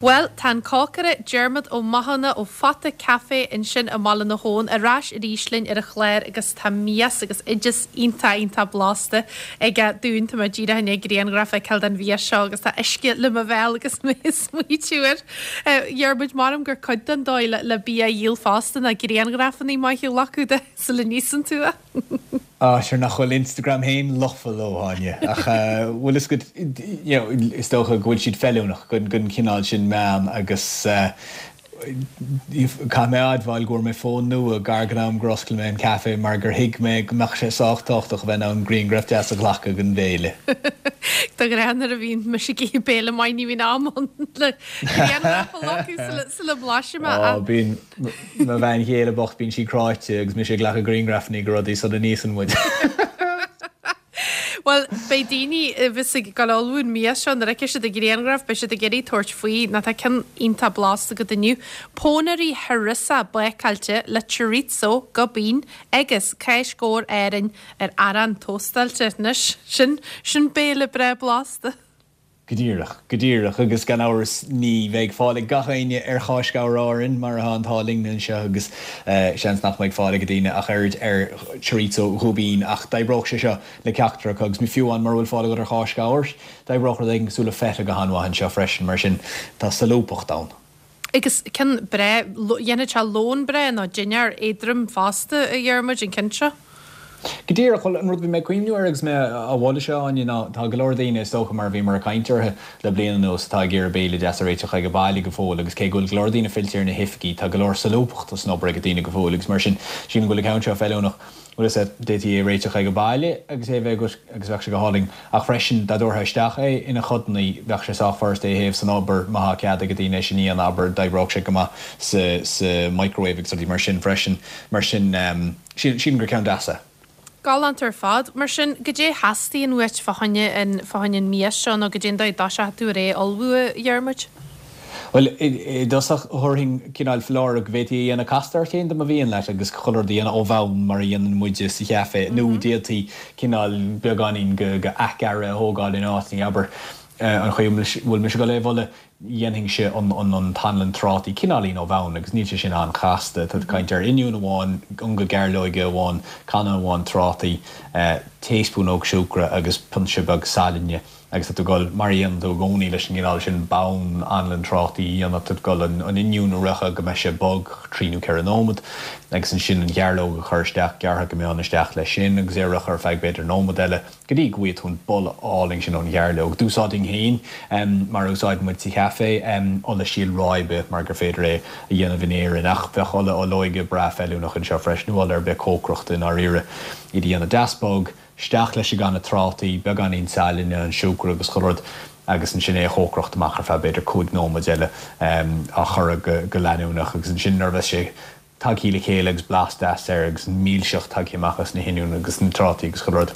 Bhuel, tá an cócaire Diarmuid Ó Mathúna ó Phota Café ansin i mBaile na hAbhann ar ais arís linn ar an chlár agus tá mias agus oideas iontach iontach blasta aige dúinn. Tá mé díreach i ndiaidh grianghraf a fheiceáil den mhias seo agus tá uisce le mo bhéal agus mé ag smaoitiú air. Dhiarmuid, measaim gur cuid den dóigh le bia a dhíol fosta ná grianghrafanna maithe a ghlacadh de sula n-íosann tú é. Ah, sure nach bhfuil Instagram féin lofa leo, Áine. Ach bhfuil fhios agat, you know, is dócha go bhfuil siad feiliúnach don chineál sin meán agus caithfidh mé a admháil go bhfuair mé fón nua gar don am gur oscail mé an caife mar gur thuig mé go mbeadh sé sách tábhachtach a bheith in ann grianghraf deas a ghlacadh den bhéile. De ghnáth nuair a bhíonn mise ag ithe béile maith ní bhíonn am ann le grianghraf a ghlacadh sula mblaisim é. Ó, bíonn. Mo bhean chéile bocht, bíonn sí cráite agus mise ag glacadh grianghrafanna de rudaí sula n-íosann muid. Bhuel, beidh daoine a bheas ag gabháil a ullmhú an mias seo, nuair a fheicfidh siad an grianghraf, beidh siad ag iarraidh tabhairt faoi, nó tá ceann iontach blasta agat inniu. Pónairí harissa bácáilte le chorizo, gubbeen agus cáis ghabhair Árainn ar arán tóstáilte. Anois, sin, sin béile breá blasta. Go díreach, go díreach, agus gan amhras ní bheidh fáil ag gach éinne ar Cháis Ghabhair Árann mar atá an t-ádh linn anseo agus seans nach mbeidh fáil ag daoine ach oiread ar chorizo Ghubbeen ach d'oibreodh sé seo le ceachtar acu agus fiú amháin mura bhfuil fáil agat ar cháis ghabhair, d'oibreodh rud éigin cosúil le feta go han-mhaith anseo freisin mar sin tá solúbthacht ann. Agus ceann breá, dhéanfadh sé lón breá nó dinnéar éadrom fosta, a Dhiarmuid, an ceann seo. Go díreach, bhuel, an rud a bhí mé ag cuimhniú air agus mé á mholadh seo, Áine, ná tá go leor daoine, is dócha, mar a bhíomar ag caint orthu le bliain anuas, atá ag iarraidh béile deas a réiteach age baile go fóill agus cé go bhfuil go leor daoine fillte ar na hoifigí, tá go leor solúbthachta san obair ag daoine go fóill agus mar sin, sílim go bhfuil an ceann seo feiliúnach. Bhuel is ea, d'fhéadfaí é a réiteach age baile agus é a bheith agat agus bheadh sé go hálainn. Ach freisin, dá dtabharfá isteach é ina chodanna, bheadh sé sách furasta é a théamh san obair má thá cead ag daoine é sin a dhéanamh, abair, d'oibreodh sé go maith sa sa microwave agus rudaí mar sin freisin. Mar sin, sílim gur ceann deas é. Galánta ar fad. Mar sin, goidé a theastaíonn uait fá choinne an fá choinne an mias seo nó goidé an dóigh a dtoiseochaidh tú ar é a ullmhú, a Dhiarmuid? Bhuel, i dtosach, thabharfainn cineál foláireamh go bhféadfaí é a dhéanamh casta ort féin dá mba mhian leat agus chuile rud a dhéanamh ó bhonn mar a dhéanann muide sa chaife nó d'fhéadfaí cineál beagáinín de athghearradh a thógáil in áiteanna, abair, an chaoi a bhfuil mise ag dul é a mholadh, dhéanfainnse an t-anlann trátaí cineáilín ó bhonn agus níl sé sin an-chasta, tá tú ag caint ar oinniún amháin, ionga gairleoige amháin, canna amháin trátaí, taespúnóg siúcra agus pionsa beag sailinne. Agus tá tú ag dul, mar a dhéanann tú i gcónaí leis an gcineál sin bonn anlann trátaí a dhéanamh, tá tú ag dul an oinniún a fhriochadh go mbeidh sé bog, 3 nó 4 nóiméad, agus ansin an ghairleog a chur isteach, gearrtha go mion isteach leis sin, agus é a fhriochadh ar feadh b'fhéidir nóiméad eile, go dtí go bhfaighidh tú an boladh álainn sin ón ghairleog. D'úsáidfinn féin, mar a úsáideann muid sa chaife, ola síol ráibe, mar gur féidir é a dhéanamh in Éirinn, ach bheadh ola olóige breá feiliúnach anseo freisin, nó ola ar bith cócaireachta i ndáiríre, iad a dhéanamh deas bog, Isteach leis an gcanna trátaí, beagáinín sailinne, an siúcra agus chuile rud agus ansin é a chócaireacht amach ar feadh b'fhéidir 5 nóiméad eile, á chorradh go leanúnach agus ansin nuair a bheas sé tagthaí le chéile agus blas deas air agus an mhilseacht tagthaí amach as na hoinniúin agus na trátaí agus chuile rud,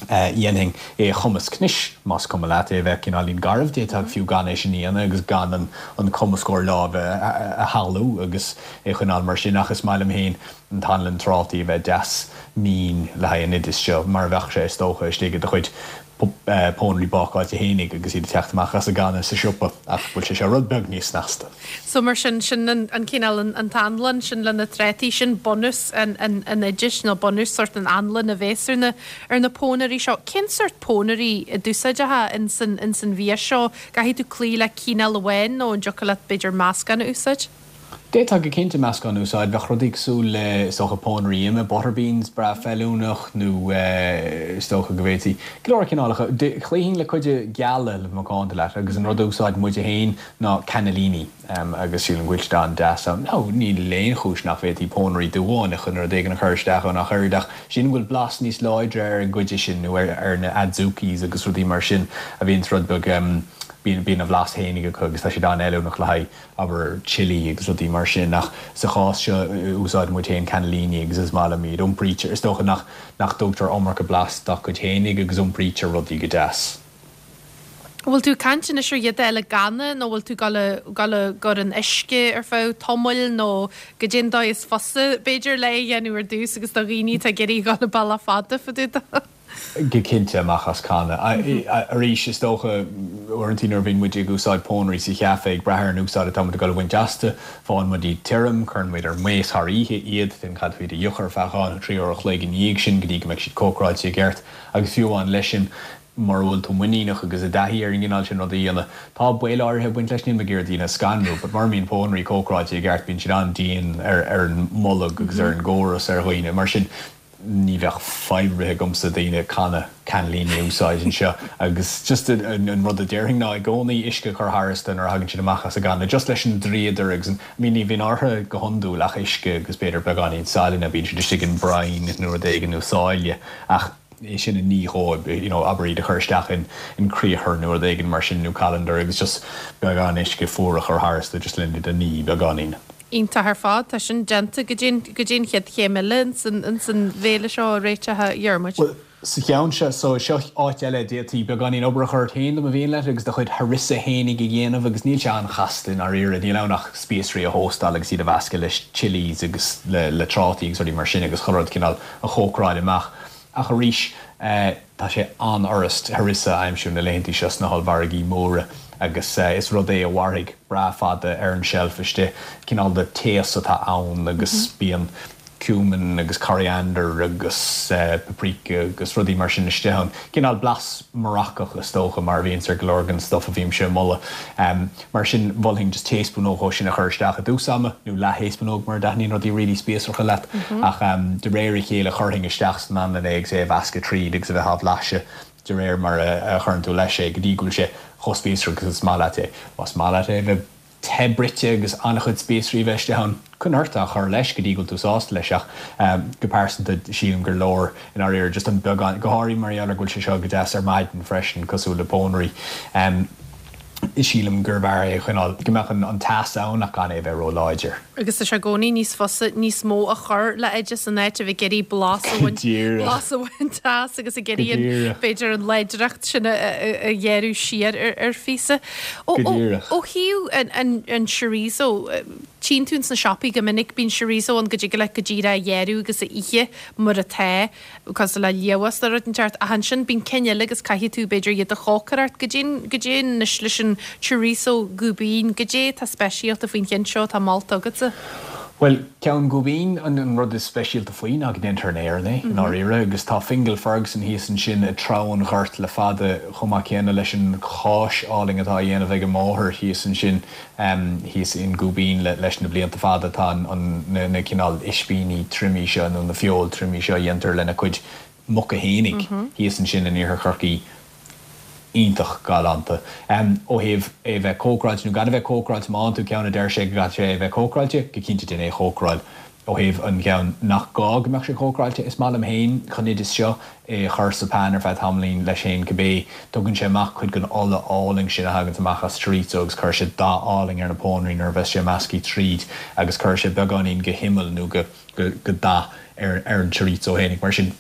dhéanfainn é a chumasc. Anois, más cuma leat é a bheith cineáilín garbh, d'fhéadfá fiú gan é sin a dhéanamh agus gan an cumascóir láimhe a shamhlú agus é a choinneáil mar sin ach is maith liom féin an t-anlann trátaí a bheith deas mín le haghaidh an oidis seo, mar a bheadh sé, is dócha, istigh i do chuid pónairí bácáilte fhéinig agus iad ag teacht amach as an gcanna sa siopa, ach bhfuil sé seo rud beag níos snasta. So mar sin, sin an cineál, an t-anlann sin le na trátaí, sin bunús an oidis nó bunús sórt an anlann a bhéas ar na, ar na pónairí seo. Cén sórt pónairí a d'úsáidfeá ins an, ins an mhias seo? Caithfidh tú cloí le cineál amháin nó an dtiocfadh leat b'fhéidir meascán a úsáid? D'fhéadfá go cinnte meascán a úsáid. Bheadh rudaí cosúil le, is dócha, pónairí ime, butter beans, breá feiliúnach nó is dócha go bhféadfaí go leor cineálacha. Chloífinn le cuid geala le bheith macánta leat agus an rud a úsáideann muide féin ná cannellini agus sílim go bhfuil siad an-deas ann. Now níl aon chúis nach bhféadfaí pónairí dubha nó rud éigin a chur isteach ann ach oiread ach sílim go bhfuil blas níos láidre ar an gcuid sin nó ar na adzukis agus rudaí mar sin a bhíonns rud beag, bíonn a bhlas fhéinig acu agus tá siad an-fheiliúnach le haghaidh abair chilli agus rudaí mar sin ach sa chás seo úsáideann muid féin cannellini agus is maith liom iad. Iompraítear, is dócha nach nach dtugtar iomarca blas dá gcuid fhéinig agus iompraítear rudaí go deas. An bhfuil tú ag caint anois ar iad a fháil i gcanna nó bhfuil tú ag dul a gcur in uisce ar feadh tamaill nó goidé an dóigh is fusa b'fhéidir le é a dhéanamh ar dtús agus do dhaoine atá ag iarraidh a dhul an bealach fada fá dtaobh de? Go cinnte, amach as canna. Arís, is dócha, uaireanta nuair a bhíonn muid ag úsáid pónairí sa chaife, ag brath ar an úsáid atá muid ag dul a bhaint astu, faigheann muid iad tirim, cuireann muid ar maos thar oíche iad, then caithfidh iad a fhiuchadh ar feadh 2 nó 3 uair a chloig ina dhiaidh sin go dtí go mbeidh siad cócaráilte i gceart. Agus fiú amháin leis sin, mura bhfuil tú muiníneach agus i dtaithí ar an gcineál sin ruda a dhéanamh, tá baol áirithe ag baint leis, níl mé ag iarraidh daoine a scanrú, but mura mbíonn pónairí cócaráilte i gceart, bíonn siad an-dian ar an mbolg agus ar an gcóras ar dhaoine. Mar sin, ní bheadh fadhb ar bith agamsa daoine canna cannellini a úsáid anseo agus just an rud a déarfainn ná i gcónaí uisce a chur tharstu nuair a thagann siad amach as an gcanna just leis an dríodar agus an I mean ní bhíonn orthu go hiondúil ach uisce agus b'fhéidir beagáinín saillinne, bíonn siad istigh in brine nó rud éigin nó sáile ach é sin a ní dhóibh you know abair iad a chur isteach in in criathar nó rud éigin mar sin nó colander agus just beagán uisce fuar a chur tharstu just lena iad a ní beagáinín. Iontach ar fad. Tá sin déanta. Goidé an chéad chéim eile ins an bhéile seo a réiteach a Dhiarmuid? Bhuel, sa cheann seo, so seo áit eile a d'fhéadfaí beagáinín obair a chur ort féin dá mba mhian leat agus do chuid harissa fhéinig a dhéanamh agus níl sé an-chasta i ndáiríre, níl ann ach spíosraí a thóstáil agus iad a mheascadh le chillies agus le trátaí agus rudaí mar sin agus chuile rud cineál a chócaráil amach. Ach arís, tá sé an-fhurast harissa a aimsiú na laethantaí seo sna hollmhargaí móra agus is rud é a mhairfidh breá fada ar an tseilf istigh. Cineál de taos atá ann agus bíonn cumin agus coriander agus paprika agus rudaí mar sin istigh ann. Cineál blas Maracach is dócha mar a bhíonns ar go leor den stuff a bhímse ag moladh. Mar sin, mholfainn just taespúnóg dhó sin a chur isteach i dtús ama, nó leath-thaespúnóg mura dtaitníonn rudaí really spíosracha leat. Ach de réir a chéile chuirfinn isteach san anlann é agus é a mheascadh tríd agus a bheith á bhlaiseadh de réir mar a chuireann tú leis é go dtí go bhfuil sé chomh spíosrach agus is maith leat é. Más maith leat é a bheith te bruite agus an-chuid spíosraí a bheith istigh ann, coinnigh ort á chur leis go dtí go bhfuil tú sásta leis ach go pearsanta sílim gur leor i ndáiríre just an beagán, go háirithe mar gheall ar go bhfuil sé seo go deas ar maidin freisin cosúil le pónairí. Sílim gurbh fhearr é a choinneáil, go mbeadh an teas ann ach gan é a bheith ró-láidir. Agus tá sé i gcónaí níos fusa níos mó a chur le oideas in áit a bheith ag iarraidh blas a bhaint, blas a bhaint as agus ag iarraidh an, b'fhéidir an láidreacht sin a ghéarú siar ar phíosa. Ó thaobh an chorizo, tchíonn tú ins na siopaí go minic, bíonn chorizo ann go dtig leat go díreach a ghearradh agus a ithe mar atá. cosúil le liamhás nó rud inteacht ach ansin bíonn cinn eile agus caithfidh tú b'fhéidir iad a chócaireacht. Goidé goidé anois leis an chorizo Gubbeen, goidé atá speisialta faoin cheann seo atá molta agatsa? Bhuel, ceann Gubbeen, an rud is speisialta faoi ná go ndéantar in Éirinn é, i ndáiríre, agus tá Fingal Ferguson thíos ansin i dTreabh an Ghoirt le fada, chomh maith céanna leis an cháis álainn atá á dhéanamh ag a máthair thíos ansin. Thíos in Gubbeen leis na blianta fada tá na cineál ispíní triomaithe seo nó na feoil triomaithe seo a dhéantar lena cuid muca fhéinig thíos ansin in iarthar Chorcaí iontach galánta. Ó thaobh é a bheith cócaráilte nó gan a bheith cócaráilte, má fhaigheann tú ceann a deir sé go gcaithfidh sé a bheith cócaráilte, go cinnte déan é a chócaráil. Ó thaobh an cheann nach gá go mbeadh sé cócaráilte, is maith liom féin chun oideas seo é a chur sa pan ar feadh tamaillín leis féin cibé. Tugann sé amach cuid den ola álainn sin a thaganns amach as chorizo agus cuirfidh sé dath álainn ar na pónairí nuair a bheas sé measctha tríd agus cuirfidh sé beagáinín de imeall nó de dhath ar an chorizo fhéinig. Mar sin.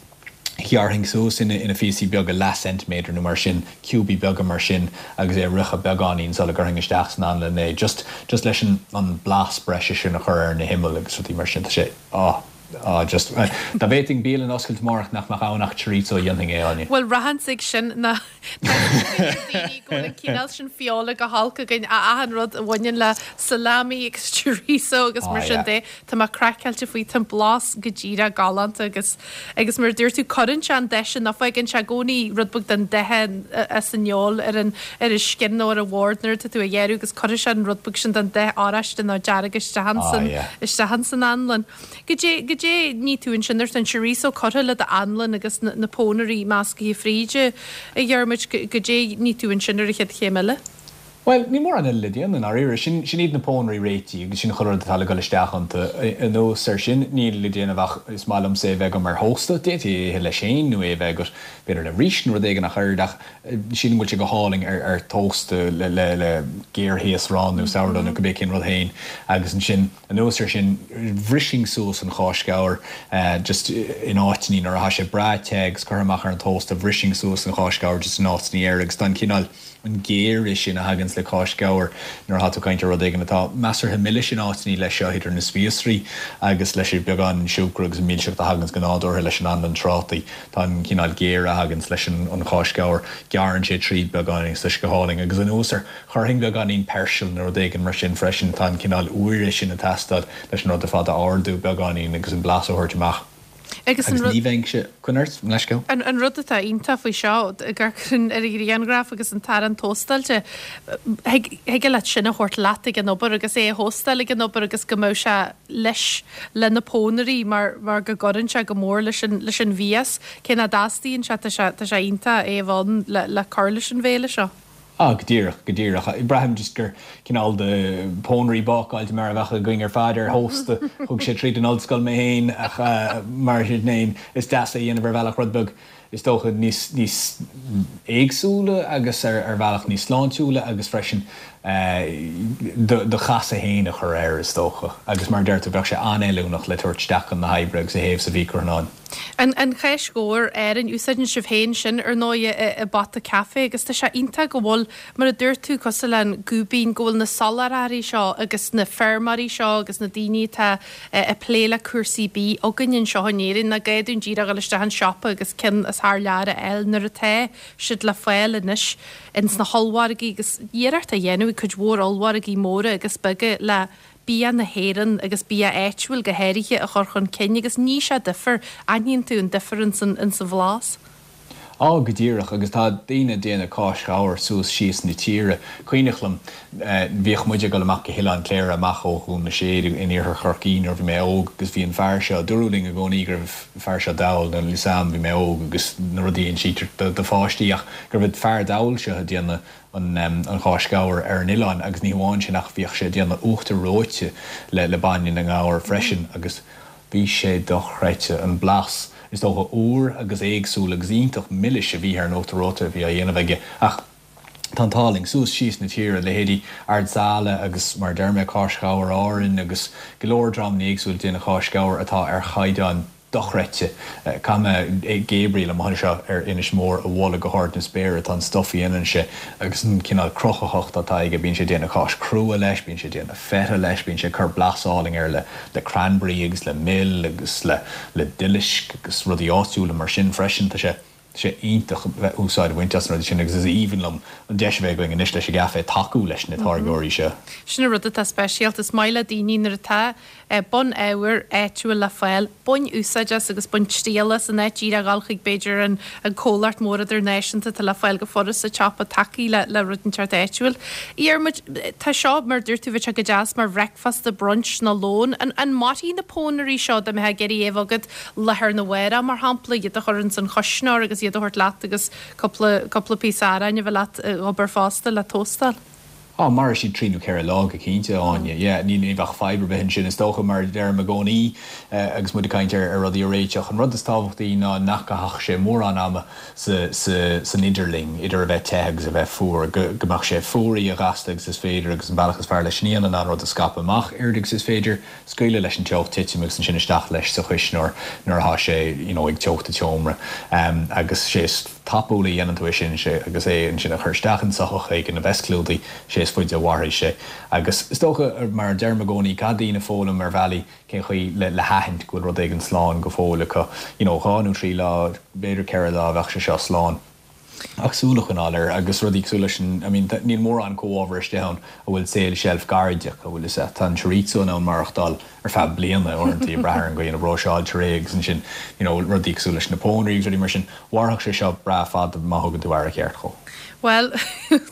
Ghearrfainn suas ina phíosaí beaga, leath ceintiméadar nó mar sin, ciúbaí beaga mar sin agus é a fhriochadh beagáinín sula gcuirfinn isteach san anlann é, just, just leis an, an blas breise sin a chur ar na himill agus rudaí mar sin. Tá sé, ah, ah, just, dá bhféadfainn bialann a oscailt amárach nach mbeadh ann ach chorizo, dhéanfainn é, Áine. Bhuel, rachainnse ag sin ná tá daoine go bhfuil an cineál sin feola go holc againn, achan rud a bhaineann le salami agus chorizo agus mar sin de, tá mé craiceáilte faoi, tá an blas go díreach galánta agus. Agus mar a dúirt tú, cuireann sé an dath sin, nó fágann sé i gcónaí rud beag den dath as an fheoil ar an ar an scian nó ar an bhord nuair atá tú á ghearradh agus cuirfidh sé an rud beag sin den dath oráiste nó dearg isteach ansan, isteach ansan anlann. Goidé, goidé ní tú ansin nuair atá an chorizo curtha le d'anlann agus na, na pónairí meascaithe fríd, a Dhiarmuid, goidé ní tú ansin ar an chéad chéim eile? Bhuel, níl mórán eile le déanamh i ndáiríre. Sin, sin iad na pónairí réitithe agus sin chuile rud atá le dul isteach iontu. Anuas air sin, níl le déanamh ach is maith liomsa é a bheith agam ar thósta. D'fhéadfaí é a ithe leis féin nó é a bheith agat b'fhéidir le rís nó rud éigin ach oiread ach sílim go bhfuil sé go hálainn ar, ar thósta le, le, le géarthaosrán nó sourdough nó cibé cén rud féin. Agus ansin, anuas air sin, bhrisfinn suas an cháis ghabhair just in áiteannaí nuair atá sé breá te agus curtha amach ar an tósta, bhrisfinn suas an cháis ghabhair just in áiteannaí air agus tá an cineál, an géire sin a thagann. thaganns le cáis ghabhair nuair atá tú ag caint ar rud éigin atá measartha milis in áiteannaí leis seo idir na spíosraí agus leis an beagán siúcra agus an milseacht a thaganns go nádúrtha leis an anlann trátaí. Tá an cineál géire a thaganns leis an cháis ghabhair, gearrann sé tríd beagáinín agus tá sé go hálainn. Agus anuas air, chuirfinn beagáinín peirsil nó rud éigin mar sin freisin, tá an cineál úire sin ag teastáil leis an rud ar fad a ardú beagáinín agus an blas a thabhairt amach. Agus an rud. Agus ní bheinnse, coinnigh ort, mo leithscéal. An rud atá iontach faoi seo, ag amharc ar an ghrianghraf agus an t-arán tóstáilte, thig leat sin a thabhairt leat ag an obair agus é a thóstáil ag an obair agus go mbeadh sé leis le na pónairí mar mar go gcuireann sé go mór leis an leis an mhias. Cé nach dteastaíonn sé, tá sé tá sé iontach é a bheith ann le le cur leis an bhéile seo. Ah, go díreach, go díreach. Braithim just gur cineál de pónairí bácáilte mar a bheadh againn ar fad ar thósta. Thug sé tríd an ollscoil mé féin ach mar sin féin is deas é a dhéanamh ar bhealach rud beag is dócha níos níos éagsúla agus ar ar bhealach níos sláintiúla agus freisin do do chasadh féin a chur air is dócha. Agus mar a deir tú bheadh sé an-fheiliúnach le tabhairt isteach chun na hoibre agus a théamh sa mhicreathonnán. An an cháis ghabhair Árainn, úsáideann sibh féin sin ar ndóigh i bPota Café agus tá sé iontach go bhfuil, mar a dúirt tú, cosúil le an Gúibín, go bhfuil na soláthraithe seo agus na feirmeoirí seo agus na daoine atá ag plé le cúrsaí bídh againn anseo in Éirinn, nach gá dúinn díreach dul isteach an siopa agus ceann as thar lear a fháil nuair atá siad le fáil anois ins na hollmhargaí agus iarracht á dhéanamh ag cuid mhór ollmhargaí móra agus beaga le bia na hÉireann agus bia áitiúil go háirithe a chur chun cinn agus ní sé difear, aithníonn tú an difear ins an bhlas. Á, go díreach, agus tá daoine ag déanamh cáis ghabhair suas síos na tíre. Cuimhneach liom, bhíodh muid ag dul amach go hOileán Cléire amach ó Dhún na Séad in iarthar Chorcaí nuair a bhí mé óg agus bhí an fear seo, dúradh linn i gcónaí go raibh an fear seo dall, níl 'fhios a'm, bhí mé óg agus na rudaí a insítear do pháistí ach go raibh an fear dall seo ag déanamh an cháis ghabhair ar an oileán agus ní hamháin sin ach bhíodh sé ag déanamh uachtar reoite le bainne na ngabhar freisin agus bhí sé dochreidte, an blas, is dócha, úr agus éagsúil agus iontach milis a bhí ar an uachtar reoite a bhí á dhéanamh aige ach tá an t-ádh linn suas síos na tíre, leithéidí Ard Sáile agus mar a deir mé cáis ghabhair Árainn agus go leor dreamanna éagsúla ag déanamh cáis ghabhair atá ar chaighdeán dochreidte. Caithfidh mé Gabriel amuigh anseo ar Inis Mór a mholadh go hard na spéire. Tá an stuif a dhéanann sé agus an cineál cruthaitheacht atá aige, bíonn sé ag déanamh cáis crua leis, bíonn sé ag déanamh feta leis, bíonn sé ag cur blas álainn air le le cranberry agus le mil agus le le duilisc agus rudaí áitiúla mar sin freisin. Tá sé Tá sé iontach bheith úsáid a bhaint as na rudaí sin agus is aoibhinn liom an deis a bheith againn anois leis an gcaifé tacú leis na táirgeoirí seo. Sin an rud atá speisialta. Is maith le daoine nuair atá bun-ábhar áitiúil le fáil, bain úsáid as agus bain triail as in áit díreach a dhul chuig b'fhéidir an comhlacht mór idirnáisiúnta atá le fáil go furast sa tsiopa, tacaigh le le rud inteacht áitiúil. A Dhiarmuid, tá seo, mar a dúirt tú, bheadh sé go deas mar bhreicfeasta, brunch nó lón. An mairfidh na pónairí seo dá mbeifeá ag iarraidh é a bheith agat lá arna mhárach, mar shampla, iad a chur ins an chuisneoir agus iad a thabhairt leat agus cúpla, cúpla píosa aráin a bheith leat ag obair fosta le tóstáil. Á, mairfidh siad trí nó ceithre lá go cinnte, Áine. Yeah, ní, ní bheadh fadhb ar bith ansin. Is dócha, mar a deirim i gcónaí agus muid ag caint ar, ar rudaí a réiteach, an rud is tábhachtaí ná nach gcaithfeadh sé mórán ama sa, sa, san idirlinn, idir a bheith te agus a bheith fuar, go, go mbeadh sé fuaraithe a ghasta agus is féidir agus an bealach is fearr leis sin a dhéanamh ná an rud a scaipeadh amach oiread agus is féidir. scaoileadh leis an teocht titim agus ansin isteach leis sa chuisneoir nuair atá sé you know ag teocht an tseomra agus sé is tapúla a dhéanann tú é sin sé agus é ansin a chur isteach in soitheach éigin a bheas clúdaithe sé is faide a mhairfidh sé agus is dócha mar a deirim i gcónaí caithfidh daoine foghlaim ar bhealaí cén chaoi le le haithint go bhfuil rud éigin slán go fóill acu you know 2 nó 3 lá b'fhéidir 4 lá bheadh sé seo slán. Ach súil a choinneáil air agus rudaí cosúil leis an, I mean, níl mórán comhábhar istigh ann a bhfuil saol seilf gairid acu, bhfuil fhios a'd. Tá an chorizo in ann maireachtáil ar feadh bliana uaireanta, ag brath ar an gcaoi ina bpróiseáiltear é agus ansin, you know, rudaí cosúil leis na pónairí agus rudaí mar sin, mhairfeadh sé seo breá fada má thugann tú aire cheart dhó. Bhuel,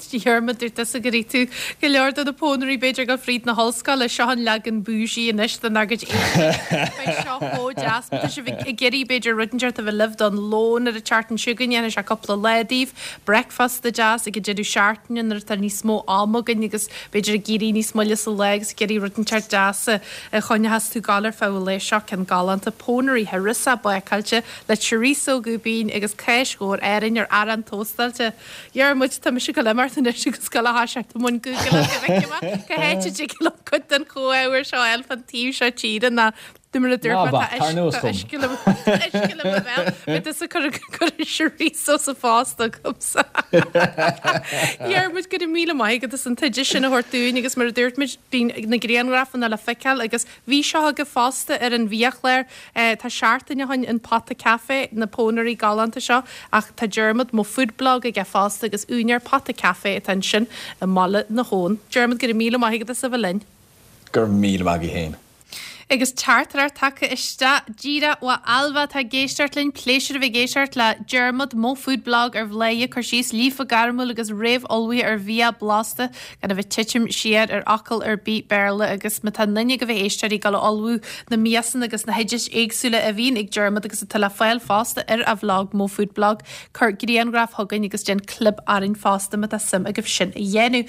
Diarmuid, dúirt tusa gur ith tú go leor de na pónairí b'fhéidir ag dul fríd na hollscoile. Seo an leagan bougie anois dár gcuid éadaí. Beidh seo chomh deas. Má tá sibh ag iarraidh b'fhéidir rud inteacht a bheith libh don lón ar an tseachtain seo chugainn, dhéanfaidh sé cúpla lá daoibh. Bricfeasta deas ag an deireadh seachtaine nuair atá níos mó ama againn agus b'fhéidir ag éirí níos moille sa lá agus ag iarraidh rud inteacht deas a choinneochas tú ag gabháil ar feadh an lae. Seo ceann galánta. Pónairí harissa bácáilte le chorizo Gúibín agus cáis ghabhair Árainn ar arán tóstáilte. Dhiarmuid, tá mise ag dul imeacht anois agus dul a thoiseacht i mbun Google go bhfeicfidh mé cá háit a dtig liom cuid den chomhábhar seo a fháil fán taobh seo tíre ná. De mar a dúirt mé, tá uisce le mo bhéal. Beidh tusa ag cur an chorizo sa phost agamsa. Diarmuid, go raibh míle maith agat as an t-oideas sin a thabhairt dúinn agus mar a dúirt muid, bíonn na grianghrafanna le feiceáil agus bhí seo agaibh fosta ar an bhiachlár. Tá seachtain ó shin an Pota Café, na pónairí galánta seo ach tá Diarmuid, Mo Food Blog aige fosta agus úinéir Pota Café atá ansin i mBaile na hAbhann. Diarmuid, go raibh míle maith agat as a bheith linn. Go raibh míle maith agat féin. Agus teachtaireacht tagtha isteach díreach ó Ailbhe atá ag éisteacht linn. Pléisiúr a bheith ag éisteacht le Diarmuid, Mo Food Blog ar Bhladhaire, cur síos líofa gairmiúil agus réamh-ullmhaithe ar bhia blasta gan a bheith titim siar ar fhocal ar bith Béarla agus má tá aon duine de éisteoirí ag dul a ullmhú na miasanna agus na hoidis éagsúla a bhíonn ag Diarmuid agus atá le fáil fosta ar a bhlog Mo Food Blog, cuir grianghraf chugainn agus déan clib orainn fosta má tá suim agaibh sin a dhéanamh.